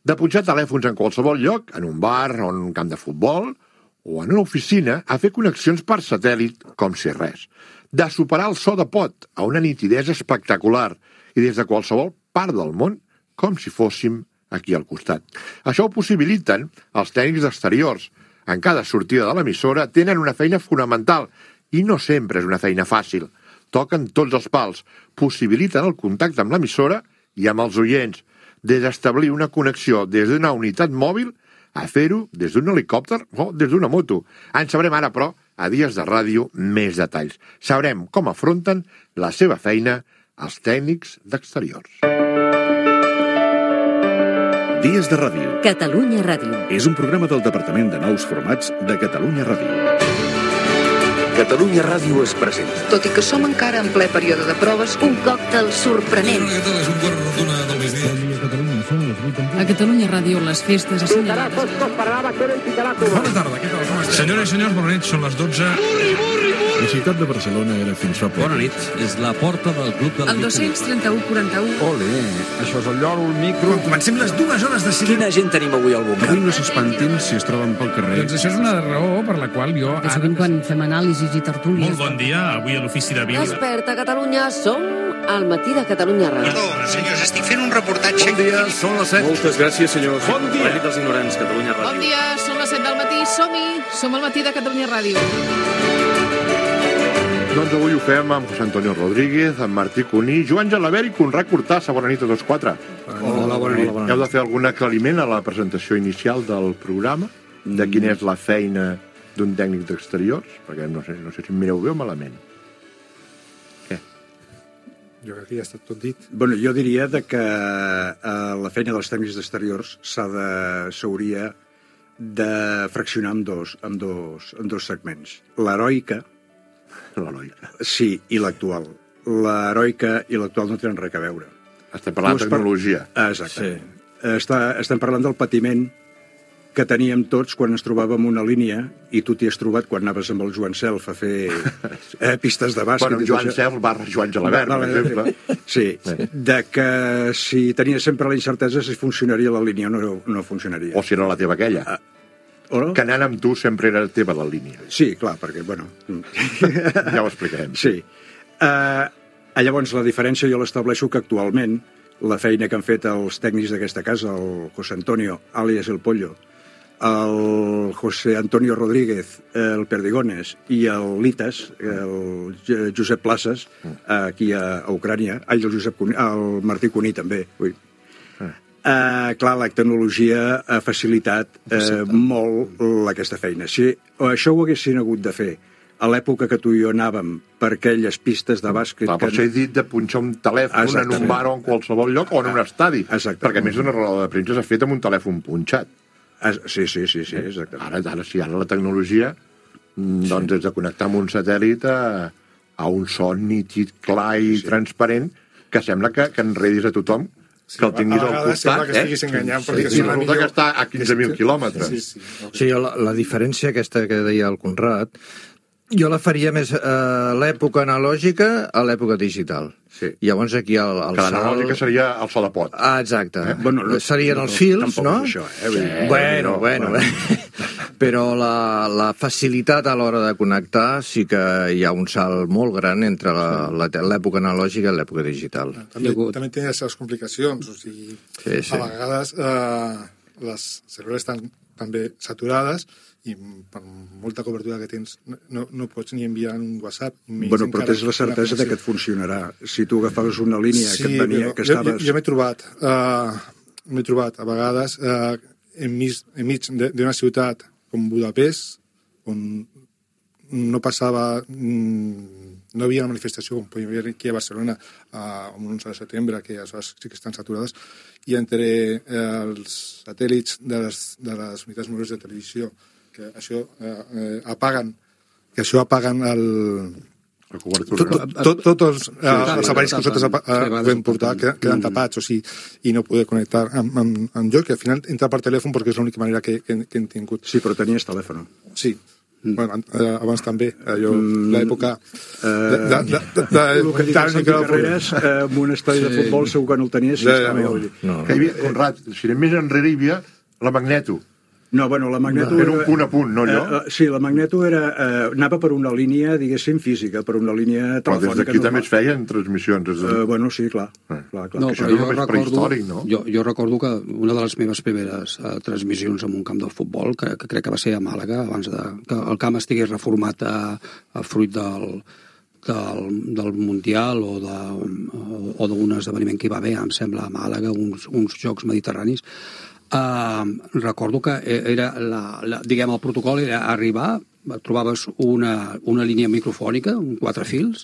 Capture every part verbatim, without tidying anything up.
De punxar telèfons en qualsevol lloc, en un bar o en un camp de futbol, o en una oficina, a fer connexions per satèl·lit com si res. De superar el so de pot a una nitidesa espectacular i des de qualsevol part del món com si fóssim aquí al costat. Això ho possibiliten els tècnics d'exteriors. En cada sortida de l'emissora tenen una feina fonamental i no sempre és una feina fàcil. Toquen tots els pals, possibiliten el contacte amb l'emissora i amb els oients, des d'establir una connexió des d'una unitat mòbil a fer-ho des d'un helicòpter o des d'una moto. En sabrem ara, però, a Dies de Ràdio, més detalls. Sabrem com afronten la seva feina els tècnics d'exteriors. Dies de Ràdio. Catalunya Ràdio. És un programa del Departament de Nous Formats de Catalunya Ràdio. Catalunya Ràdio es presenta. Tot i que som encara en ple període de proves, un còctel sorprenent. És un quart rotuna del migdia. A Catalunya Ràdio, les festes assenyalades. Bona tarda, què tal? Com esteu? Senyores i senyors, bona nit, són les dotze. La ciutat de Barcelona era fins fa poc. Bona nit, és la porta del club de la... El dos-cents trenta-u quaranta-u. Ole, això és el lloro, el micro... Quan comencem les dues hores de cinema... Quina gent tenim avui al bunker? Avui no s'espantin si es troben pel carrer. Doncs això és una raó per la qual jo... Que sovint quan fem anàlisis i tertúlies... Molt bon dia, avui a l'Ofici de Viu. Desperta, Catalunya, som al matí de Catalunya Ràdio. Perdó, senyors, estic fent un reportatge... Bon dia, són les set. Moltes gràcies, senyors. Bon dia. La nit dels ignorants, Catalunya Ràdio. Bon dia, són les set del matí, som-hi! Som al matí de Catalunya Ràdio. Doncs avui ho fem amb José Antonio Rodríguez, amb Martí Cuní, Joan Gelabert i Conrad Cortassa. Bona nit a tots quatre. Hola, bona nit. Heu de fer algun aclariment a la presentació inicial del programa, de quina és la feina d'un tècnic d'exteriors, perquè no sé, no sé si em mireu bé o malament. Què? Jo crec que ja ha estat tot dit. Bueno, jo diria de que eh, la feina dels tècnics d'exteriors s'ha de, s'hauria de fraccionar en dos, en dos, en dos segments. L'heroica, L'heroica. sí, i l'actual. L'heroica i l'actual no tenen res a veure. Estem parlant de tecnologia. Ah, exacte. Sí. Està, estem parlant del patiment que teníem tots quan ens trobàvem una línia, i tu t'hi has trobat quan anaves amb el Joan Self a fer eh, pistes de bàsquet. Bueno, Joan Self barra Joan Gelabert, per exemple. Sí, de que si tenies sempre la incertesa si funcionaria la línia o no, no funcionaria. O si era la teva aquella. Ah, o no? Que anant amb tu sempre era teva la línia. Sí, clar, perquè, bueno... Ja ho explicarem. Sí. Uh, llavors, la diferència jo l'estableixo que actualment la feina que han fet els tècnics d'aquesta casa, el José Antonio, àlies El Pollo, el José Antonio Rodríguez, el Perdigones, i el Litas, el Josep Places, aquí a, a Ucrània, ai, el, Josep Cuní, el Martí Cuní també, ui. Uh, clar, la tecnologia ha facilitat uh, molt aquesta feina. Si això ho haguessin hagut de fer a l'època que tu i jo anàvem per aquelles pistes de bàsquet... Clar, per això he dit de punxar un telèfon Exactament. En un bar o en qualsevol lloc o en un estadi. Exactament. Perquè a més una roda de premsa s'ha fet amb un telèfon punxat. Sí, sí, sí, sí, exactament. Ara, ara sí, ara la tecnologia, doncs, sí. és de connectar amb un satèl·lit a, a un son nítid, clar i sí. transparent, que sembla que, que enredis a tothom, sí, que el tinguis al costat, que estiguis enganyant, eh? perquè sí, sí, resulta que està a quinze mil quilòmetres. Sí, sí, okay. sí la, la diferència aquesta que deia el Conrad, jo la faria més a l'època analògica a l'època digital. Sí. I llavors aquí el, el que l'analògica sal... seria el so de pot. Ah, exacte. Eh? Bueno, no, serien no, els fils, no? Això, eh? Sí. Bueno, bueno, bueno. Però la, la facilitat a l'hora de connectar sí que hi ha un salt molt gran entre l'època analògica i l'època digital. També, també té les seves complicacions, o sigui, sí, sí. a vegades eh, les servidors estan també saturades i per molta cobertura que tens no, no pots ni enviar un WhatsApp. Bueno, però tens la certesa de que et funcionarà. Si tu agafaves una línia sí, que et venia... que estaves... Jo, jo m'he trobat, uh, m'he trobat a vegades uh, enmig, enmig d'una ciutat com Budapest, on no passava... no hi havia una manifestació com podria haver aquí a Barcelona uh, un onze de setembre, que aleshores sí que estan saturades, i entre eh, els satèl·lits de les, de les unitats mòbils de televisió que això eh, eh, apaguen que això apaguen el la cobertura, tot, tot, tots els, eh, sí, els aparells que nosaltres eh, podem portar queden, queden tapats, o sigui, i no poder connectar amb, amb, amb joc, que al final entra per telèfon perquè és l'única manera que, que, que hem tingut. Sí, però tenies telèfon. Sí. Mm. Bueno, abans també, allò, mm. l'època uh, de, de, de, de, de, el que dic Santi Carreras amb un estadi sí. de futbol segur que no el tenia si ja, estava no, no. Que hi havia, Conrad, si anem més enrere hi havia la Magneto. No, bueno, la Magneto... Era un punt a punt, no, allò? Uh, uh, sí, la Magneto era, uh, anava per una línia, diguéssim, física, per una línia telefònica. Però des d'aquí també es feien transmissions. Des de... uh, bueno, sí, clar. Eh. clar, clar. No, que però jo recordo, no? jo, jo recordo que una de les meves primeres uh, transmissions en un camp de futbol, que, que crec que va ser a Màlaga, abans de, que el camp estigués reformat a, a fruit del... Del, del Mundial o de, o d'un esdeveniment que hi va haver, em sembla, a Màlaga, uns, uns Jocs Mediterranis. Uh, recordo que era la, la, diguem, el protocol era arribar, trobaves una, una línia microfònica, un quatre fils,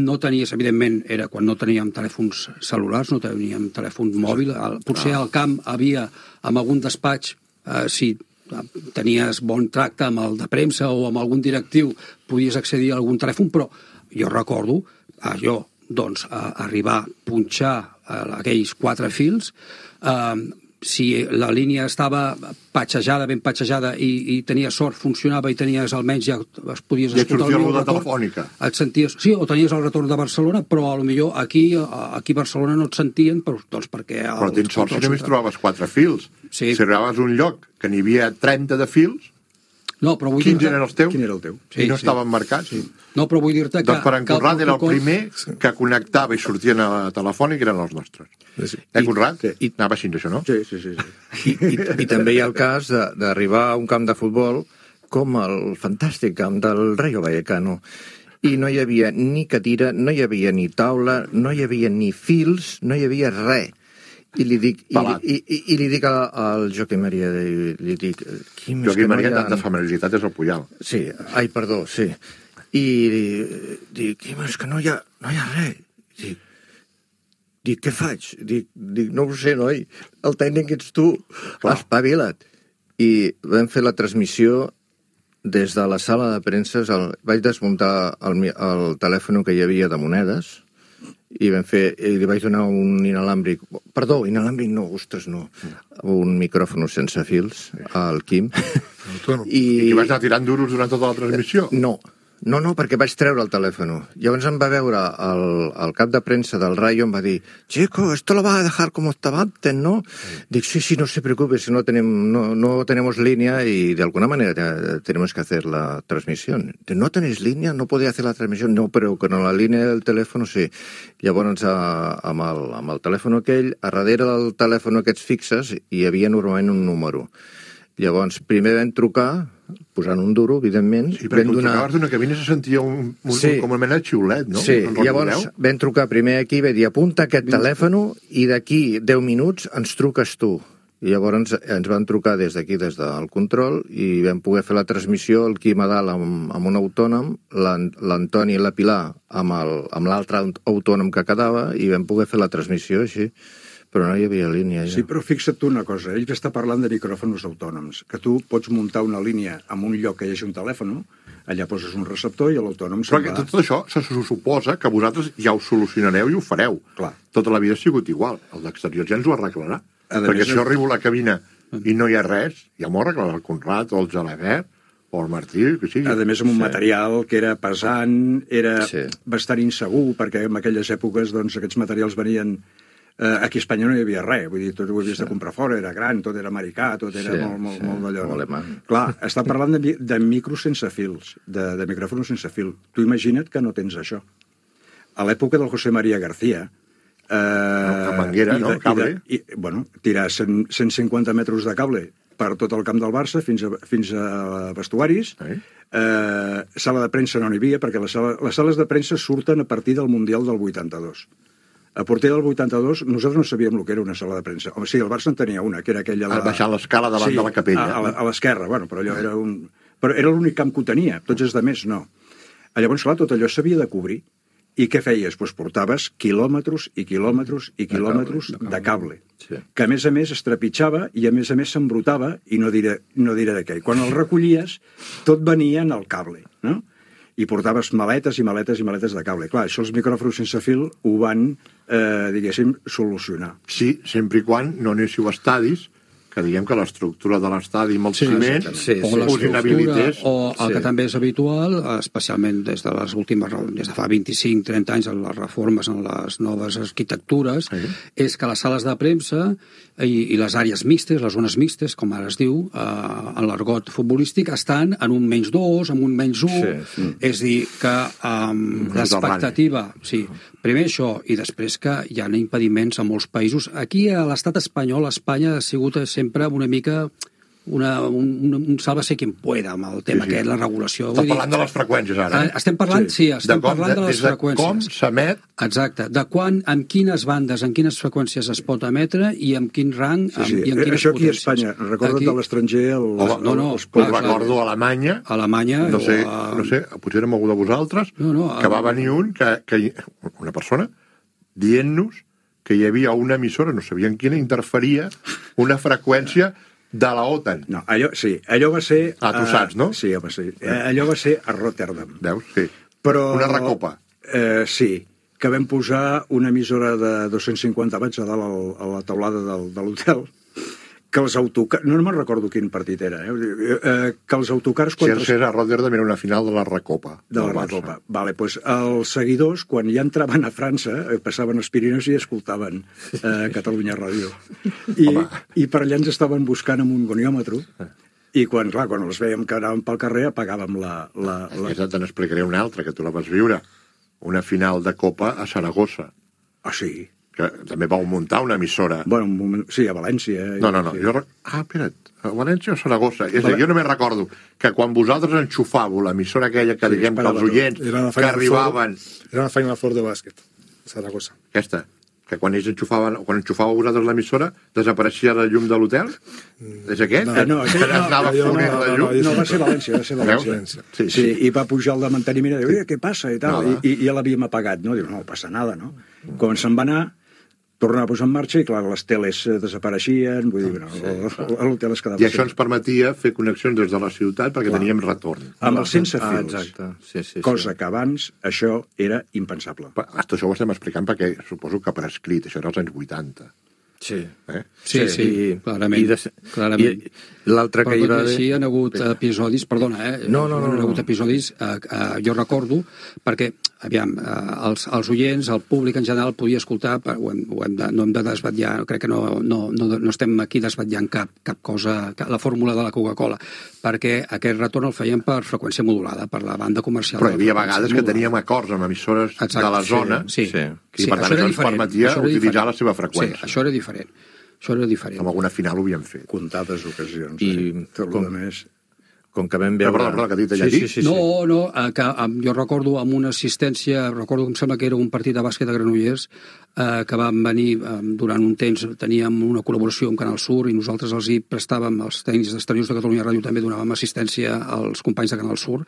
no tenies, evidentment, era quan no teníem telèfons cel·lulars, no teníem telèfon mòbil, potser al camp havia, amb algun despatx, uh, si tenies bon tracte amb el de premsa o amb algun directiu, podies accedir a algun telèfon, però jo recordo, allò, doncs, a arribar a punxar aquells quatre fils, eh, si la línia estava patxejada, ben patxejada, i, i tenies sort, funcionava i tenies almenys ja es podies ja escoltar el retorn, telefònica. Et senties, sí, o tenies el retorn de Barcelona, però a lo millor aquí, aquí a Barcelona no et sentien, però, doncs perquè... Però tens sort si només trobaves quatre fils. Sí. Si arribaves a un lloc que n'hi havia trenta de fils, no, però vull quins eren els teus? Quin era el teu? Sí, I no sí. estaven marcats. Sí. No, però vull dir-te que... Doncs per en Conrad era el primer que connectava i sortien a la telefònica, eren els nostres. Sí. Eh, Conrad? Sí. Anava així, això, no? Sí, sí, sí. sí. I, i, I també hi ha el cas d'arribar a un camp de futbol com el fantàstic camp del Rayo Vallecano. I no hi havia ni cadira, no hi havia ni taula, no hi havia ni fils, no hi havia res. I li dic, i, i, i, i li dic al Joaquim Maria, li dic... Quim, Joaquim Maria, no ha... tanta familiaritat és el Puyal. Sí, ai, perdó, sí. I dic, Quim, és que no hi ha, no hi ha res. Dic, dic, què faig? Dic, dic, no ho sé, noi, el tècnic ets tu, espavila't. I vam fer la transmissió des de la sala de premsa, el, vaig desmuntar el, el telèfon que hi havia de monedes, i vam fer, i li vaig donar un inalàmbric, perdó, inalàmbric no, ostres, no, un micròfon sense fils al Quim. I, I que vas anar tirant duros durant tota la transmissió? No, no, no, perquè vaig treure el telèfon. Llavors em va veure el, el cap de premsa del Rayo, em va dir, chico, esto lo vas a dejar como estaba antes, ¿no? Sí. Dic, sí, sí, no se preocupe, si no, tenem, no, no tenemos línea y de alguna manera tenemos que hacer la transmisión. ¿No tenéis línea? ¿No podéis hacer la transmisión? No, però con la línia del telèfon sí. Llavors, a, amb, el, amb el telèfon aquell, a darrere del telèfon aquests fixes hi havia normalment un número. Llavors, primer vam trucar, posant un duro, evidentment. Sí, perquè quan donar... trucaves d'una cabina se sentia un, un, sí. com una mena de xiulet, no? Sí, llavors vam trucar primer aquí, vam dir, apunta aquest telèfon i d'aquí deu minuts ens truques tu. I llavors ens, ens van trucar des d'aquí, des del control, i vam poder fer la transmissió, el Quim a dalt amb, amb un autònom, l'Antoni i la Pilar amb l'altre autònom que quedava, i vam poder fer la transmissió així. Però no hi havia línia. Ja. Sí, però fixa't tu una cosa, ell que està parlant de micròfons autònoms, que tu pots muntar una línia en un lloc que hi hagi un telèfon, allà poses un receptor i l'autònom se'n va... Però tot això se suposa que vosaltres ja ho solucionareu i ho fareu. Clar. Tota la vida ha sigut igual. El d'exterior ja ens ho arreglarà. Perquè si jo arribo a la cabina i no hi ha res, ja m'ho arreglarà el Conrad o el Gelabert o el Martí, que sigui. A més, amb un sí. material que era pesant, era sí. bastant insegur, perquè en aquelles èpoques doncs, aquests materials venien... Uh, aquí a Espanya no hi havia res, vull dir, tot ho havies sí. de comprar fora, era gran, tot era americà, tot era sí, molt, molt, sí, molt d'allò. Molt Clar, està parlant de, de micros sense fils, de, de micròfons sense fil. Tu imagina't que no tens això. A l'època del José María García... Eh, no, manguera, no? Cable? I, i, bueno, tirar cent, cent cinquanta metres de cable per tot el camp del Barça fins a, fins a vestuaris. Eh? Eh, sala de premsa no n'hi havia, perquè les, sala, les sales de premsa surten a partir del Mundial del vuitanta-dos. A partir del vuitanta-dos, nosaltres no sabíem el que era una sala de premsa. Home, sí, el Barça en tenia una, que era aquella... La... Baixar l'escala davant sí, de la capella. A, a l'esquerra, bueno, però allò era un... Però era l'únic camp que ho tenia, tots els altres no. Llavors, clar, tot allò s'havia de cobrir. I què feies? Doncs portaves quilòmetres i quilòmetres i quilòmetres de cable, de cable sí. que a més a més es trepitjava i a més a més s'embrutava, i no diré, no diré de què. Quan el recollies, tot venia en el cable, no? I portaves maletes i maletes i maletes de cable. Clar, això els micròfons sense fil ho van, eh, diguéssim, solucionar. Sí, sempre i quan no anéssiu a estadis que diguem que l'estructura de l'estadi amb els Sí, ciments sí, sí, us inhabilités. O el Sí. que també és habitual, especialment des de les últimes, des de fa vint-i-cinc trenta anys, en les reformes, en les noves arquitectures, sí. és que les sales de premsa i, i les àrees mixtes, les zones mixtes, com ara es diu, eh, en l'argot futbolístic, estan en un menys dos, en un menys un, sí, sí. és a dir, que um, l'expectativa... Sí, primer això, i després que hi ha impediments a molts països. Aquí, a l'estat espanyol, Espanya ha sigut sempre una mica... Una, un, un, un sálvase quien pueda amb el tema sí, sí. aquest, la regulació. Estàs parlant de les freqüències, ara. Eh? Estem parlant, sí, sí estem de com, parlant de, de les de freqüències. Com s'emet... Exacte, de quan, amb quines bandes, en quines freqüències es pot emetre i amb quin rang sí, sí. i amb quines Això aquí potències. a Espanya, recorda't aquí... de l'estranger... El... Home, no, no, els clar, recordo a Alemanya... A Alemanya... No sé, a... no sé, potser érem algú de vosaltres, no, no, a... que va venir un, que, que una persona, dient-nos que hi havia una emissora, no sabien quina, interferia una freqüència de la OTAN. No, allò, sí, allò va ser... Ah, tu saps, no? Uh, sí, home, sí. Eh, allò va ser a Rotterdam. Veus? Sí. Però, una recopa. Eh, sí, que vam posar una emissora de dos-cents cinquanta watts a dalt al, a la taulada del, de l'hotel, que els autocars... No, no me'n recordo quin partit era, eh? eh que els autocars... Quan si era a Rotterdam era una final de la recopa. De la recopa. Vale, doncs els seguidors, quan ja entraven a França, passaven els Pirineus i escoltaven eh, Catalunya Ràdio. I, I per allà ens estaven buscant amb un goniòmetre, i quan, clar, quan els veiem que anàvem pel carrer apagàvem la... la, la... Aquesta te n'explicaré una altra, que tu la vas viure. Una final de Copa a Saragossa. Ah, sí? Que també vau muntar una emissora. Bueno, un moment... sí, a València. Eh? No, no, no. Sí. Jo... Ah, espera't, a València o Saragossa? És a dir, jo només recordo que quan vosaltres enxufàveu l'emissora aquella que sí, diguem que els oients que arribaven... Era una Final Four de bàsquet, a Saragossa. Aquesta, que quan ells enxufaven, quan enxufàveu vosaltres l'emissora, desapareixia la llum de l'hotel? És aquest? No, no, que no, anava no, fonent no, la llum? No, no, va ser València, va ser València. Sí, sí. sí, i va pujar el de manteniment i diu, què passa? I, tal, no, i, i ja l'havíem apagat, no? Diu, no, no passa nada, no? Quan se'n va anar, tornava a posar en marxa i, clar, les teles desapareixien, vull dir, no, l'hotel es quedava... I això ens permetia fer connexions des de la ciutat perquè clar. Teníem retorn. Amb els sense fils. Ah, exacte. Sí, sí, cosa sí. que abans això era impensable. Però, això ho estem explicant perquè suposo que per escrit, això era als anys vuitanta. Sí. Eh? Sí, sí, sí, I, clarament. I, de, clarament. I l'altre que hi va haver... Així hi ha hagut episodis, perdona, eh? No, no, no. Hi ha hagut episodis, eh, eh, jo recordo, perquè, aviam, eh, els, els oients, el públic en general podia escoltar, ho hem, ho hem de, no hem de desvetllar, crec que no, no, no, no estem aquí desvetllant cap, cap cosa, cap, la fórmula de la Coca-Cola, perquè aquest retorn el feien per freqüència modulada, per la banda comercial. Però hi havia vegades modulada. Que teníem acords amb emissores Exacte, de la zona, sí, sí, i sí, per tant això, això ens permetia utilitzar diferent. La seva freqüència. Sí, això era diferent. Això era diferent. Amb alguna final ho havíem fet. Comptades ocasions. I eh? Tot com, més... com que vam veure... Perdó, perdó, que ha dit allà sí, sí, sí, no, sí. no, eh, que eh, jo recordo amb una assistència, recordo que em sembla que era un partit de bàsquet a Granollers, eh, que van venir eh, durant un temps, teníem una col·laboració amb Canal Sur i nosaltres els hi prestàvem, els tècnics d'exteriors de Catalunya Ràdio també donàvem assistència als companys de Canal Sur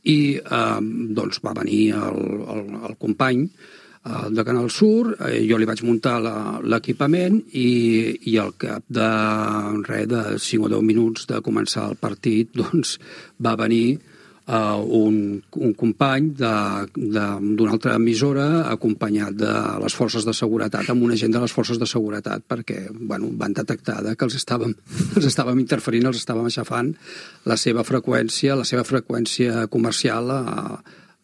i eh, doncs va venir el, el, el company de Canal Sur, eh, jo li vaig muntar l'equipament i, i al cap de res de cinc o deu minuts de començar el partit doncs va venir uh, un, un company d'una altra emissora acompanyat de les forces de seguretat amb un agent de les forces de seguretat perquè bueno, van detectar que els estàvem, els estàvem interferint, els estàvem aixafant la seva freqüència, la seva freqüència comercial a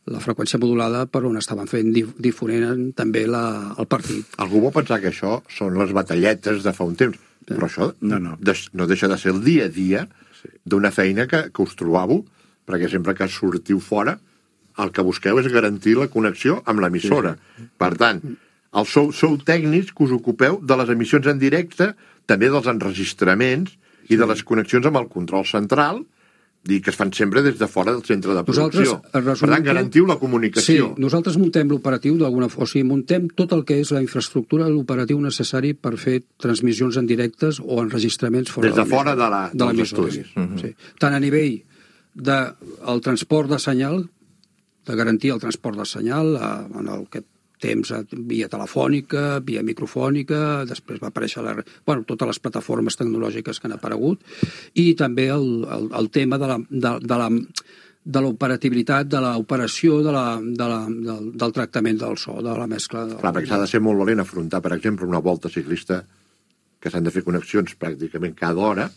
la freqüència modulada per on estaven fent difonent també la, el partit. Algú vol pensar que això són les batalletes de fa un temps, però això no, no. De, no deixa de ser el dia a dia sí. D'una feina que, que us trobàveu, perquè sempre que sortiu fora el que busqueu és garantir la connexió amb l'emissora. Sí, sí. Per tant, el sou, sou tècnics que us ocupeu de les emissions en directe, també dels enregistraments i sí. De les connexions amb el control central, dir que es fan sempre des de fora del centre de producció. Per tant, garantiu la comunicació. Sí, nosaltres muntem l'operatiu d'alguna forma, o sigui, muntem tot el que és la infraestructura, l'operatiu necessari per fer transmissions en directes o enregistraments fora des de fora de la, de dels estudis. Uh-huh. Sí. Tant a nivell del de transport de senyal, de garantir el transport de senyal en el que temps via telefònica, via microfònica, després va aparèixer la, bueno, totes les plataformes tecnològiques que han aparegut, i també el, el, el tema de la, de, de la de l'operativitat, de l'operació de la, de la, del, del tractament del so, de la mescla. De Clar, perquè s'ha de ser molt valent afrontar, per exemple, una volta ciclista que s'han de fer connexions pràcticament cada hora,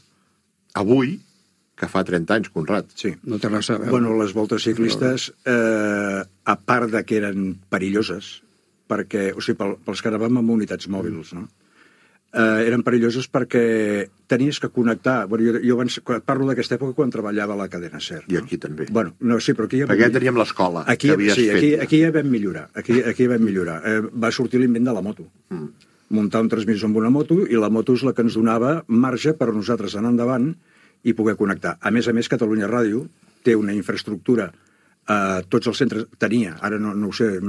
avui, que fa trenta anys, Conrad. Sí. No té res a veure. Bueno, les voltes ciclistes, eh, a part de que eren perilloses, perquè, o sigui, pel, pels que anàvem amb unitats mòbils, no? Eh, eren perilloses perquè tenies que connectar... Bueno, jo, jo abans, parlo d'aquesta època quan treballava a la cadena SER. I aquí també. Bueno, no, sí, però aquí... Ja perquè ja teníem l'escola aquí, que havies sí, fet. Aquí, aquí ja vam millorar. Aquí, aquí ja vam millorar. Eh, va sortir l'invent de la moto. Mm. Muntar un transmissor amb una moto, i la moto és la que ens donava marge per nosaltres anar endavant i poder connectar. A més a més, Catalunya Ràdio té una infraestructura a tots els centres... Tenia, ara no, no ho sé...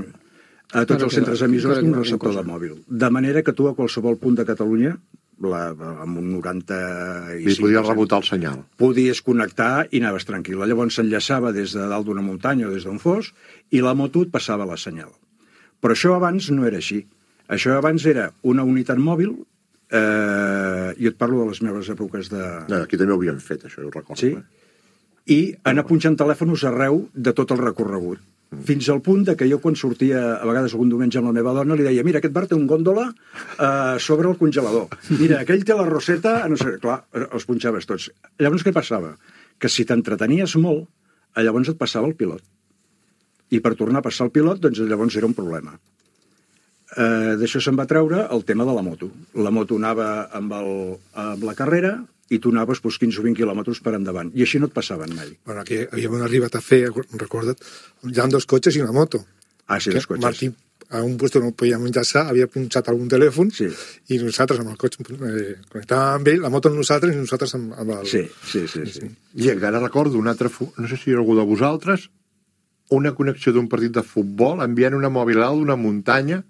a tots els centres emissors d'un receptor de mòbil. De manera que tu a qualsevol punt de Catalunya, la, amb un noranta-cinc... I podies rebotar el senyal. Podies connectar i anaves tranquil. Llavors s'enllaçava des de dalt d'una muntanya o des d'on fos i la moto et passava la senyal. Però això abans no era així. Això abans era una unitat mòbil, eh, jo et parlo de les meves èpoques de... No, aquí també ho havíem fet, això, ho recordo. Sí? I anar punxant telèfons arreu de tot el recorregut. Fins al punt de que jo, quan sortia a vegades algun diumenge amb la meva dona, li deia: mira, aquest bar té un gòndola eh, sobre el congelador. Mira, aquell té la roseta... No sé, clar, els punxaves tots. Llavors, què passava? Que si t'entretenies molt, llavors et passava el pilot. I per tornar a passar el pilot, doncs llavors era un problema. Eh, D'això se'n va treure el tema de la moto. La moto anava amb, el, amb la carrera i tu anaves doncs, quinze o vint quilòmetres per endavant. I així no et passaven mai. Bueno, aquí havíem arribat a fer, recorda't, ja amb dos cotxes i una moto. Ah, sí, dos cotxes. Martí, a un lloc no podíem enllaçar, havia punxat algun telèfon, sí. I nosaltres amb el cotxe eh, connectàvem amb ell, la moto amb nosaltres i nosaltres amb, amb el... Sí, sí, sí. sí. sí. I encara recordo un altre... No sé si algú de vosaltres, una connexió d'un partit de futbol enviant una mòbil alt d'una muntanya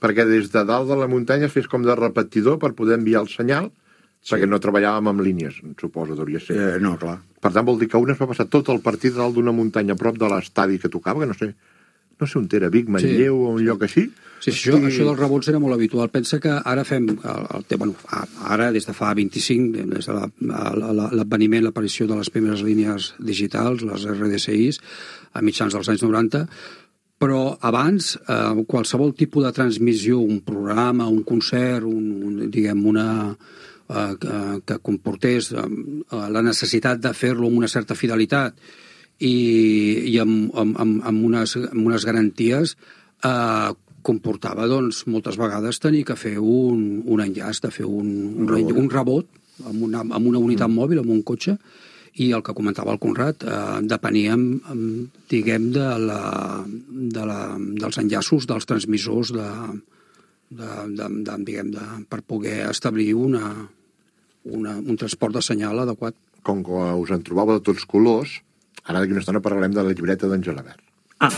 perquè des de dalt de la muntanya fes com de repetidor per poder enviar el senyal. Sí. Perquè no treballàvem amb línies, suposo, hauria ser. Eh, no, clar. Per tant, vol dir que un es va passar tot el partit dalt d'una muntanya a prop de l'estadi que tocava, que no sé, no sé on era, Vic, Manlleu, sí. O un lloc així. Sí, sí, això, I... això dels rebots era molt habitual. Pensa que ara fem, el, el, bueno, ara des de fa vint-i-cinc, des de l'adveniment, la, l'aparició de les primeres línies digitals, les R D S Is, a mitjans dels anys noranta, però abans, eh, qualsevol tipus de transmissió, un programa, un concert, un, un, diguem, una... Eh, que, que comportés eh, la necessitat de fer-lo amb una certa fidelitat i, i amb, amb, amb, unes, amb unes garanties, eh, comportava doncs, moltes vegades tenir que fer un, un enllaç, de fer un, un, rebot. un rebot amb una, amb una unitat mm. mòbil, amb un cotxe, i el que comentava el Conrad, eh, depeníem, diguem, de la, de la, dels enllaços dels transmissors de, de, de, de, diguem, de, per poder establir una Una, un transport de senyal adequat. Com que us en trobava de tots colors, ara d'aquí una estona parlarem de la llibreta d'en Gelabert. Ah.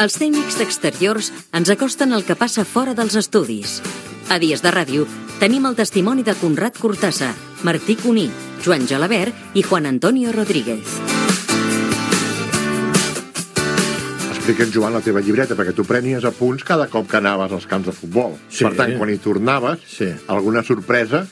Els tècnics d'exteriors ens acosten el que passa fora dels estudis. A Dies de Ràdio tenim el testimoni de Conrad Cortassa, Martí Cuní, Joan Gelabert i Juan Antonio Rodríguez. Explica'ns, Joan, la teva llibreta, perquè tu prenies apunts cada cop que anaves als camps de futbol. Sí. Per tant, quan hi tornaves, sí. Alguna sorpresa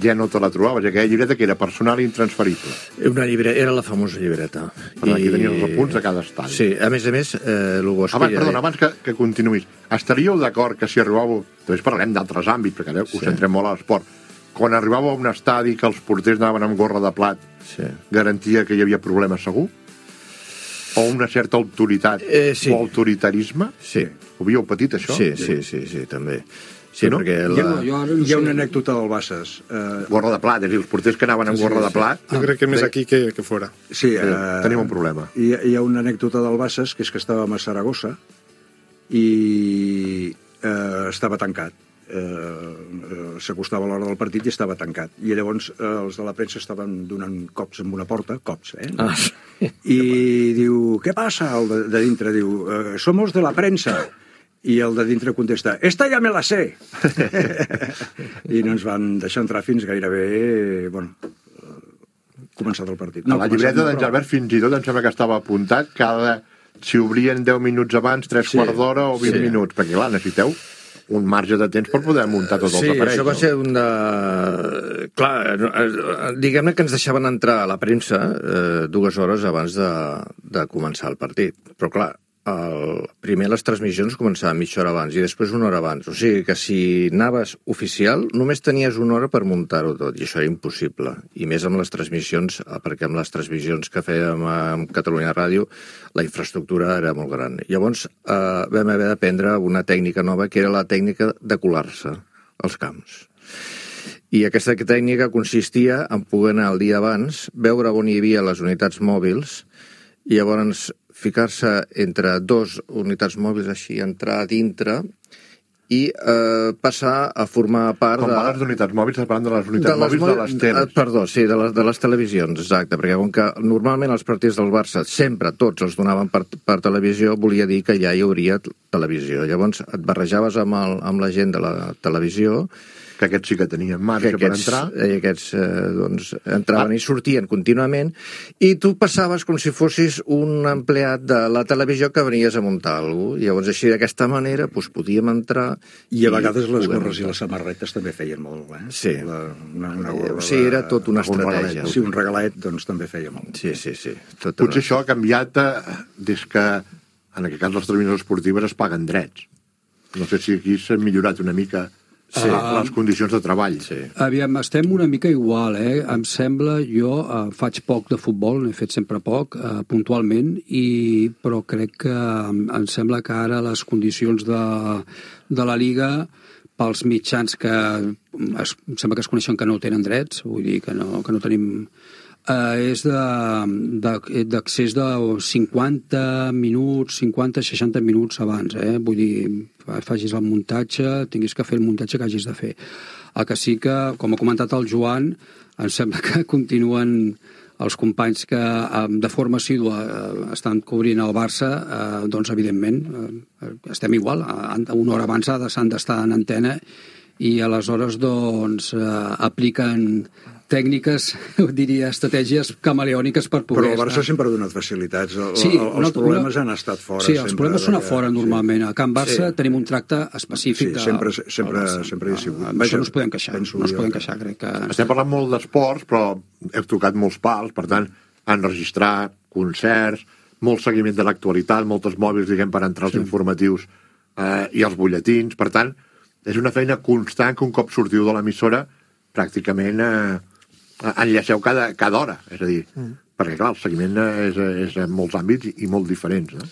ja no te la trobaves. Aquella llibreta que era personal i intransferible. Una llibreta, era la famosa llibreta. Per tant, aquí tenies els apunts de cada estadi. Sí, a més a més, eh, el bo és abans, que... Perdona, abans que, que continuïs, estaríeu d'acord que si arribàveu... També parlarem d'altres àmbits, perquè ara sí. Us centrem molt a l'esport. Quan arribàveu a un estadi que els porters anaven amb gorra de plat, sí. Garantia que hi havia problemes segur? O una certa autoritat eh, sí. O autoritarisme? Sí. Ho havíeu patit, això? Sí, sí, sí, sí, també. Sí, no? perquè la... Hi ha, hi ha, hi ha una anècdota del Bassas. Uh... Gorra de plat, és a dir, els porters que anaven amb sí, gorra sí, de plat... Jo crec que més aquí que, que fora. Sí, uh... tenim un problema. Hi, hi ha una anècdota del Bassas, que és que estàvem a Saragossa i uh, estava tancat. Uh, s'acostava l'hora del partit i estava tancat. I llavors uh, els de la premsa estaven donant cops amb una porta, cops, eh? Ah, sí. I diu, què passa? El de, de dintre diu, uh, somos de la premsa. I el de dintre contesta, esta ja me la sé. I no ens van deixar entrar fins gairebé, bueno, començat el partit. No, a la llibreta d'en Gelabert fins i tot em sembla que estava apuntat cada... si obrien deu minuts abans, tres sí, quarts d'hora o vint sí. minuts, perquè clar, necessiteu un marge de temps per poder muntar tots sí, els aparells. Sí, això va no? ser una... Clar, diguem-ne que ens deixaven entrar a la premsa eh, dues hores abans de, de començar el partit. Però clar, el, primer les transmissions començaven mitja hora abans i després una hora abans. O sigui que si anaves oficial només tenies una hora per muntar-ho tot i això era impossible. I més amb les transmissions, perquè amb les transmissions que fèiem amb Catalunya Ràdio la infraestructura era molt gran. Llavors eh, vam haver d'aprendre una tècnica nova que era la tècnica de colar-se als camps. I aquesta tècnica consistia en poder anar el dia abans, veure on hi havia les unitats mòbils i llavors ficar-se entre dos unitats mòbils així, entrar a dintre i eh, passar a formar part com de... Com parles d'unitats mòbils, estàs parlant de les unitats de les mòbils de les teles. Perdó, sí, de les, de les televisions, exacte, perquè com que normalment els partits del Barça sempre tots els donaven per, per televisió, volia dir que ja hi hauria televisió. Llavors et barrejaves amb, el, amb la gent de la televisió, que aquests sí que tenien marge aquests, per entrar. I aquests eh, doncs, entraven ah. i sortien contínuament, i tu passaves com si fossis un empleat de la televisió que venies a muntar alguna cosa. Llavors, així d'aquesta manera, doncs, podíem entrar... I a vegades les gorres i les samarretes també feien molt, eh? Sí. La, una, una gorra, o sigui, era tot una estratègia. Regalet, sí, un regalet, doncs, també feia molt. Sí, sí, sí. Tot Potser una... això ha canviat eh, des que, en aquest cas, les televisions esportives es paguen drets. No sé si aquí s'ha millorat una mica... Sí, uh, les condicions de treball. Sí. Aviam, estem una mica igual, eh? Em sembla, jo uh, faig poc de futbol, n'he fet sempre poc, uh, puntualment, i, però crec que um, em sembla que ara les condicions de, de la Liga, pels mitjans que es, em sembla que es coneixen que no tenen drets, vull dir que no, que no tenim... Uh, és d'accés de, de cinquanta minuts, cinquanta a seixanta minuts abans, eh? Vull dir, facis el muntatge, tinguis que fer el muntatge que hagis de fer. El que sí que, com ha comentat el Joan, em sembla que continuen els companys que de forma assídua estan cobrint el Barça, eh, doncs evidentment eh, estem igual, una hora abans s'han d'estar en antena i aleshores doncs eh, apliquen tècniques, diria, estratègies camaleòniques per poder... Però el Barça sempre ha donat facilitats. El, sí, el, els problemes han estat fora. Sí, els problemes són a fora, normalment. Sí. A Can Barça sí. Tenim un tracte específic. Sí, sempre, sempre, sempre hi ha sigut. Això no es podem queixar, no es podem queixar, crec que... Estem parlant molt d'esports, però heu tocat molts pals, per tant, enregistrar concerts, molt seguiment de l'actualitat, moltes mòbils, diguem, per entrar als sí. informatius eh, i els butlletins. Per tant, és una feina constant que un cop sortiu de l'emissora pràcticament... Eh, enllaceu cada, cada hora, és a dir, mm. perquè clar, el seguiment és, és en molts àmbits i molt diferents, no?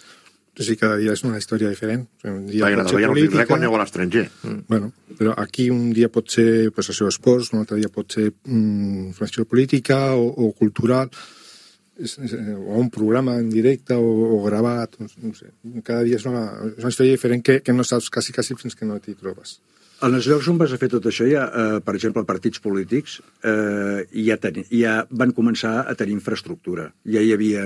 Sí, cada dia és una història diferent. Un dia Perquè pot ser política... quan aneu a l'estranger. Mm. Bueno, però aquí un dia pot ser pues, això, esports, un altre dia pot ser mm, informació política o, o cultural, és, és, o un programa en directe o, o gravat, no sé. Cada dia és una, és una història diferent que, que no saps quasi, quasi fins que no t'hi trobes. En els llocs on vas a fer tot això, ja, eh, per exemple, partits polítics, eh, ja, ten, ja van començar a tenir infraestructura. Ja hi havia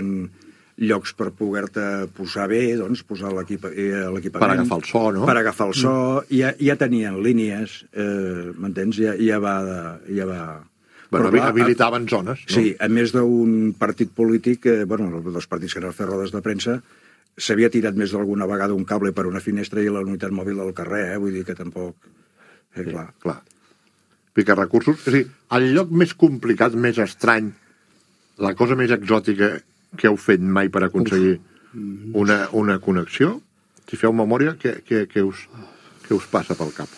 llocs per poder-te posar bé, doncs, posar l'equipament... Per agafar el so, no? Per agafar el so. Mm. Ja, ja tenien línies, eh, m'entens? Ja, ja va... Ja va... Bueno, però, habilitaven a, zones, no? Sí, a més d'un partit polític, eh, bueno, dels partits que anaven a fer rodes de premsa, s'havia tirat més d'alguna vegada un cable per una finestra i la unitat mòbil del carrer, eh? Vull dir que tampoc... Eh, sí, clar. clar. Pica recursos. És a dir, el lloc més complicat, més estrany, la cosa més exòtica que heu fet mai per aconseguir una, una connexió, si feu memòria, què, què, què, us, què us passa pel cap?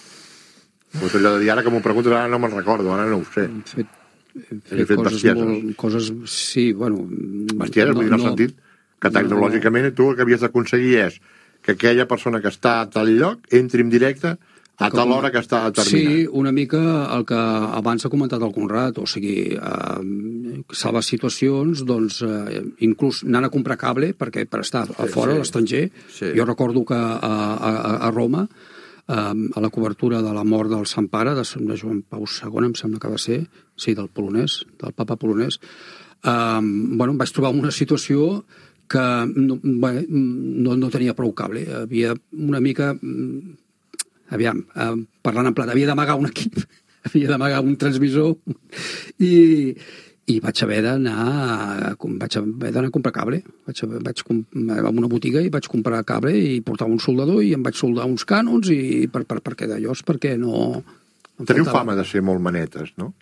Pues allò de dir, ara que m'ho preguntes, ara no me'n recordo, ara no ho sé. Hem fet, hem fet, fet coses bestieses. Molt, coses, sí, bueno... Bestieses, no, vull dir, en el no, sentit que tecnològicament tu el que havies d'aconseguir és que aquella persona que està a tal lloc entri en directe a tal hora que està determinat. Sí, una mica el que abans ha comentat el Conrad, o sigui, eh, salvar situacions, doncs, eh, inclús anant a comprar cable, perquè per estar a fora, sí, a l'estranger, sí. Jo recordo que a, a, a Roma, eh, a la cobertura de la mort del Sant Pare, de, de Joan Pau segon, em sembla que va ser, sí, del polonès, del papa polonès, eh, bueno, em vaig trobar una situació que no, bé, no, no tenia prou cable, havia una mica... Aviam, eh, parlant en plat, havia d'amagar un equip, havia d'amagar un transmissor i, i vaig haver d'anar vaig haver d'anar a comprar cable. Vaig, vaig a una botiga i vaig comprar cable i portava un soldador i em vaig soldar uns cànons i per, per, perquè d'allò és perquè no... Teniu faltava... fama de ser molt manetes, no?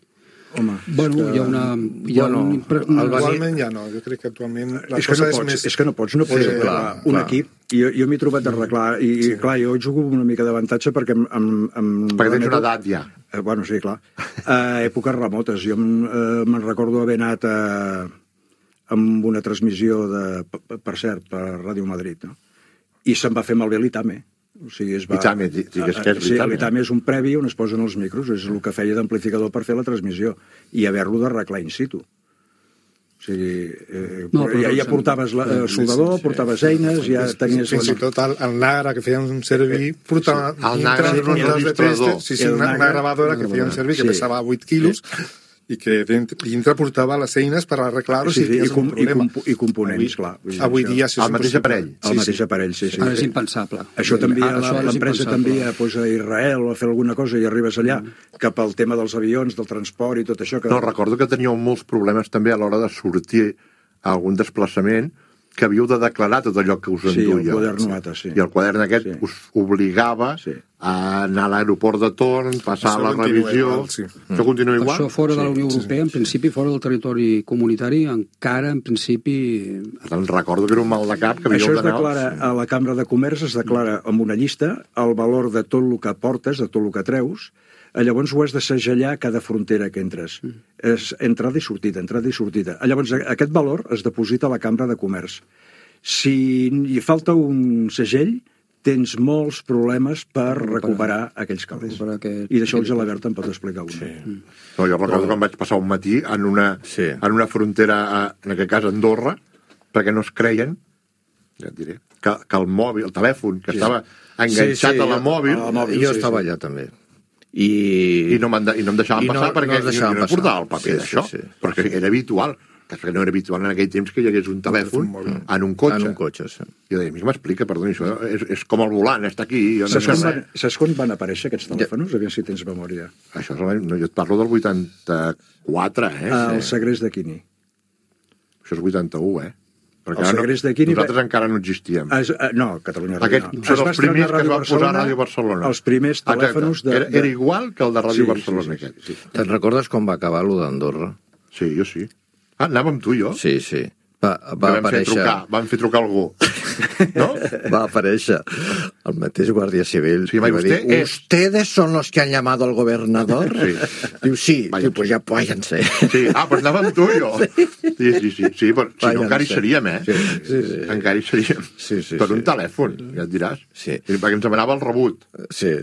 Home, bueno, que... hi ha una... Hi ha bueno, un... Actualment ja no, jo crec que actualment la és que cosa no és pots, més... és que no pots, no pots Eh, eh, clar, un clar. equip, i jo, jo m'he trobat a arreglar, i sí. clar, jo jugo amb una mica d'avantatge perquè em, em, em Perquè tens remeto- una edat ja. Eh, bueno, sí, clar. A èpoques remotes. Jo em- eh, me'n recordo haver anat a, amb una transmissió de, per, per cert, per Ràdio Madrid, no? I se'm va fer malbé l'Itame. O sigui, es va... L'Itame, digues què és Sí, l'Itame. l'Itame és un previ on es posen els micros, és el que feia d'amplificador per fer la transmissió, i haver-lo d'arreglar in situ. O sigui, eh, No, no, però ja, ja doncs, portaves la, eh, soldador, portaves eines, ja tenies... Fins i tot el, el Nagra que feien un servir portava Sí. El Nagra dintre era un un dos de registrador. tester, sí, sí, El una, una Nagra- gravadora que feia un servir que Sí. pesava vuit quilos i que dintre, dintre portava les eines per arreglar-ho Sí, si sí, i, tenies com, un i, problema. compo, i components, clar. Vull dir, Avui això- dia això és El mateix impossible. aparell. El mateix aparell, sí, sí. Ara és sí. impensable. Això també Ah, això ara és l'empresa impensable. t'envia pues, a Israel o a fer alguna cosa i arribes allà, mm. que pel tema dels avions, del transport i tot això... Que... No, recordo que teníeu molts problemes també a l'hora de sortir a algun desplaçament que havíeu de declarar tot allò que us Sí, el enduia. quadern nota, sí. I el quadern aquest Sí. us obligava Sí. a anar a l'aeroport de torn, passar Això la continua revisió... igual, sí. Això continua igual? Això fora de la Sí, Unió sí, Europea, en principi, fora del territori comunitari, encara, en principi... Per tant, recordo que era un mal de cap que Això havíeu es d'anar... declara a la Cambra de Comerç, es declara amb una llista el valor de tot el que portes, de tot el que treus, llavors ho has de segellar a cada frontera que entres. Mm. És entrada i sortida, entrada i sortida. Llavors aquest valor es deposita a la Cambra de Comerç. Si hi falta un segell, tens molts problemes per recuperar aquells calés. Aquest... I d'això el Gelabert em pot explicar alguna. Sí. Mm. No, jo recordo que em vaig passar un matí en una, Sí. en una frontera, a- en aquest cas a Andorra, perquè no es creien, ja et diré, que, que el mòbil, el telèfon, que Sí. estava enganxat a la jo- mòbil, a la mòbil, jo sí, estava sí. allà també. I, i no, m'han de, i no em deixaven I no- passar no perquè ens deixaven jo no passar. portava el paper Sí, d'això, sí, sí. perquè era habitual, que no era habitual en aquell temps que hi hagués un telèfon en un cotxe. En un cotxe, sí. Jo deia, a mi m'explica, perdoni, això és, és com el volant, està aquí, jo no Saps sé quan, res. van, saps quan van aparèixer aquests telèfons? Aviam si tens memòria. Això és l'any, no, jo et parlo del vuitanta-quatre, eh? El Sí. segrest de Quini. Això és vuitanta-u, eh? Perquè El ara segrest de Quini... nosaltres encara no existíem. Es, uh, no, Catalunya Ràdio Aquest no. són Es va els primers estrenar que es va Ràdio posar a Barcelona, Ràdio Barcelona. Els primers telèfons de... Era, era igual que el de Ràdio Sí, Barcelona, sí, sí, aquest. sí. Te'n recordes com va acabar lo d'Andorra? Sí, jo sí. Ah, anàvem amb tu i jo. Sí, sí. Va, Que va vam fer aparèixer... trucar, vam fer trucar algú. No? Va aparèixer el mateix Guàrdia Civil Sí, i va, va usted dir, es- ¿ustedes son los que han llamado al gobernador? Sí. Diu, sí. Váyanse. Diu, pues ya váyanse. Sí, ah, doncs anàvem amb tu i jo. Sí, sí, sí, sí, però si no Váyanse. encara hi seríem, eh? Sí, sí, sí. Encara hi seríem. Sí, sí, per sí. un telèfon, ja et diràs. Sí. I perquè ens demanava el rebut. Sí.